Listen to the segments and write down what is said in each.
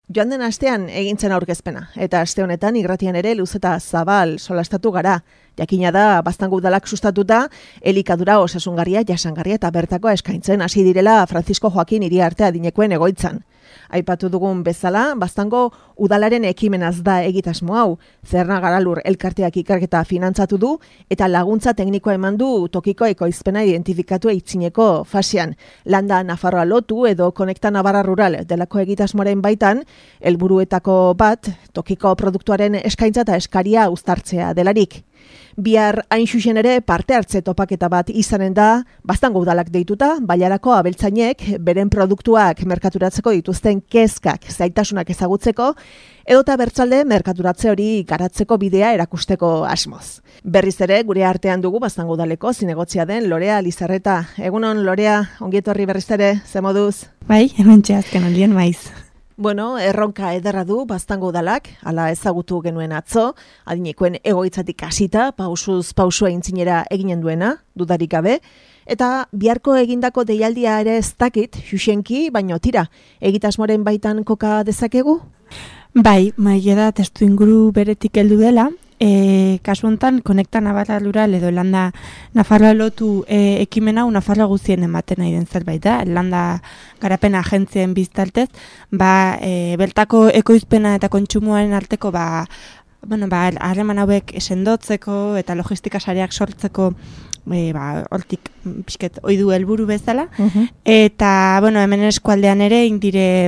Joan den astean egintzen aurkezpena, eta aste honetan irratian ere luzeta zabal solastatu gara. Jakina da, Baztango udalak sustatuta, elikadura osasungarria, jasangarria eta bertakoa eskaintzen hasi direla Francisco Joaquin Iriarte adinekoen egoitzan. Aipatu dugun bezala, Baztango udalaren ekimenaz da egitasmo hau. Zerna Garalur elkarteak ikerketa finantzatu du eta laguntza teknikoa eman du tokiko ekoizpena identifikatu eitzineko fasean. Landa Nafarroa lotu edo Konekta Navarra Rural delako egitasmoaren baitan, helburuetako bat tokiko produktuaren eskaintza eta eskaria uztartzea delarik. Bihar hain xuxen ere parte hartze topaketa bat izanen da, Baztango udalak deituta, Bailarako abeltzainek beren produktuak merkaturatzeko dituzten kezkak, zaitasunak ezagutzeko, edota bertzalde merkaturatze hori garatzeko bidea erakusteko asmoz. Berriz ere, gure artean dugu Baztango udaleko zinegotzia den Lorea Lizarreta. Egunon, Lorea, ongietorri berriz ere, ze moduz? Bai, hementxe azken aldien maiz. Bueno, erronka ederra du Baztango udalak, hala ezagutu genuen atzo, adinekoen egoitzatik hasita, pausuz pausua intzinera eginen duena, dudarik gabe, eta biharko egindako deialdia ere ez dakit, xuxenki, baino tira, egitasmoren baitan koka dezakegu? Bai, maigeda testu inguru beretik heldu dela, kasu honetan, Konekta Navarra Rural edo Landa Nafarroa lotu ekimen hau Nafarroa guztien ematen nahi den zerbait da, Landa garapen agentzien biztaltez, bertako ekoizpena eta kontsumoaren arteko harreman hauek sendotzeko eta logistika sareak sortzeko hortik pixket oidu helburu bezala, eta hemen eskualdean ere indire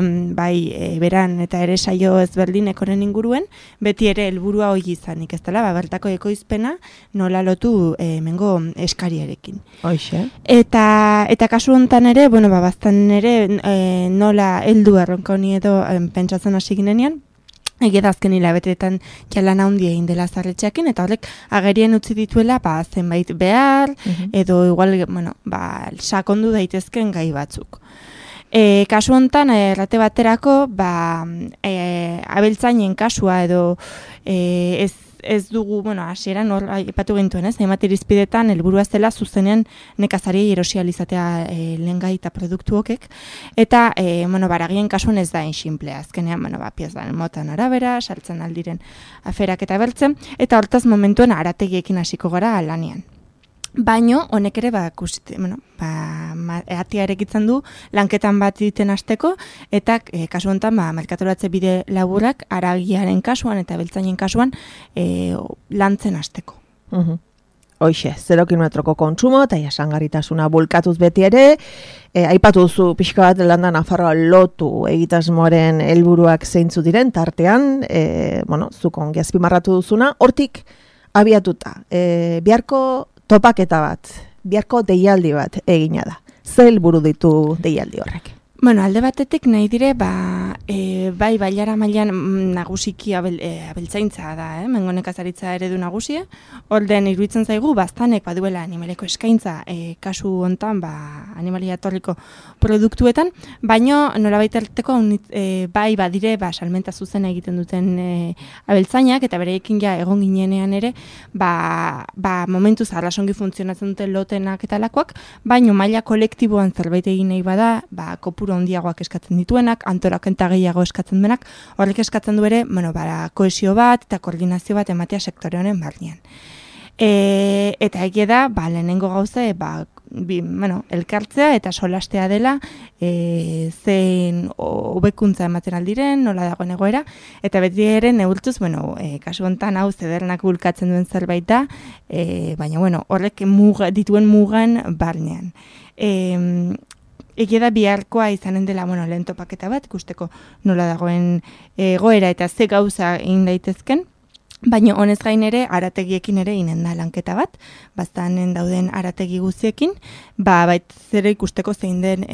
beran eta ere saio ezberdinek honen inguruen, beti ere helburua hori izanik, ez dela, bertako ekoizpena nola lotu hemengo eskariarekin. Hoxe. Eta kasu honetan ere, baztan ere nola heldu erronka honi edo pentsatzen hasi ginenean, egia da azken hilabeteetan jalan handi egin dela zarretxeakin, eta horrek agerien utzi dituela zenbait behar, edo igual, sakondu daitezken gai batzuk. Kasu honetan, errate baterako, abeltzainen kasua edo ez dugu, hasieran hor aipatu gintuen, hainbat irizpidetan helburua zela zuzenean nekazari erosializatea lehengai eta produktu hokek, eta baragien kasuan ez da inximplea, azkenean, piezan motan arabera, saltzen aldiren aferak eta bertzen, eta hortaz momentuen arategiekin hasiko gara lanean. Baino, honek ere, eatia erekitzen du, lanketan bat egiten hasteko, eta kasu honetan, merkaturatze bide laburrak, aragiaren kasuan eta beltzainen kasuan, lantzen hasteko. Hoxe, 0 kilometroko kontsumo eta jasangarritasuna bulkatuz beti ere, aipatu duzu pixka bat Landa Nafarroa lotu egitasmoaren helburuak zeintzu diren, tartean, zuk ongi azpimarratu duzuna, hortik abiatuta, biharko topaketa bat, biharko deialdi bat egina da. Ze helburu ditu deialdi horrek? Alde batetik nahi dire, bailara mailan nagusiki abeltzaintza da, mengo nekazaritza eredu nagusia. Orden iruditzen zaigu, Baztanek baduela animaleko eskaintza kasu hontan animalia etorriko produktuetan, baino nolabait arteko badire salmenta zuzen egiten duten abeltzainak, eta bereekin ja egon ginenean ere, momentuz arrasongi funtzionatzen duten lotenak eta lakoak, baino maila kolektiboan zerbait egin nahi bada, kopuru handiagoak eskatzen dituenak, antolaketa gehiago eskatzen denak, horrek eskatzen du ere, kohesio bat eta koordinazio bat ematea sektore honen barnean. Eta egia da, lehenengo gauza, elkartzea eta solastea dela, zein hobekuntza ematen aldiren, nola dagoen egoera, eta beti ere neurtuz, kasu honetan hau zedernak bulkatzen duen zerbait da, baina horrek dituen mugan barnean. Egia da biharkoa izanen dela lehen topaketa bat, ikusteko nola dagoen egoera eta ze gauza egin daitezken, baina honez gain ere arategiekin ere inen da lanketa bat, Baztanen dauden arategi guztiekin, zere ikusteko zein den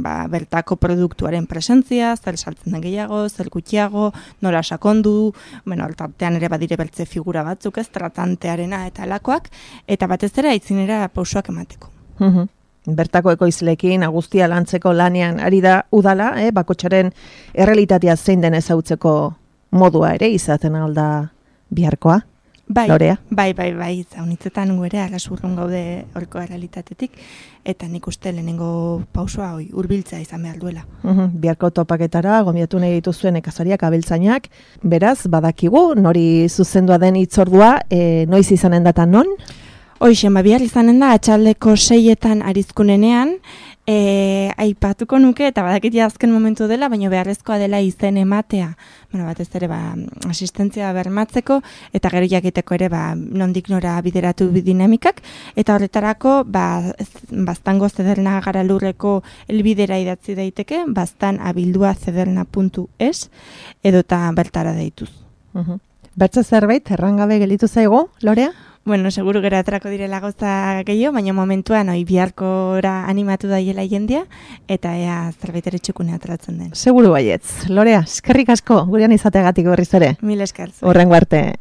bertako produktuaren presentzia, zer saltzen den gehiago, zer gutxiago, nola sakondu, hortartean ere badire bertze figura batzuk ez, tratantearena eta alakoak, eta batez ere aitzinera pausoak emateko. Bertako ekoizleekin agustia lantzeko lanean ari da udala, bakotsaren errealitatea zein den ezagutzeko modua ere izaten alda biharkoa? Lorea? Bai, zaunitzetan guere arrasurrun gaude horko realitatetik, eta nik uste lehenengo pausoa hurbiltzea izan behar duela. Biharko topaketara, gomiatu nahi dituzuen nekazariak, abeltzainak, beraz, badakigu, nori zuzendua den hitzordua, noiz izanen datan non? Hoixen, bihar izanen da, atxaldeko 6etan arizkunenean, aipatuko nuke, eta badakit azken momentu dela, baina beharrezkoa dela izen ematea. Batez ere, asistentzia bermatzeko, eta gero jakiteko ere, nondik nora bideratu dinamikak, eta horretarako, baztango zederna garalurreko elbidera idatzi daiteke, baztanabildua.zederna.es, edota bertara deituz. Bertze zerbait, errangabe gelditu zaigu, Lorea? Bueno, seguru gero aterako direla gauza gehiago, baina momentuan biharkora animatu daiela jendea, eta ea zerbait ere txukune ateratzen den. Seguru baietz. Lorea, eskerrik asko, gurean izateagatik berriz ere. Mil esker. Horrengo arte.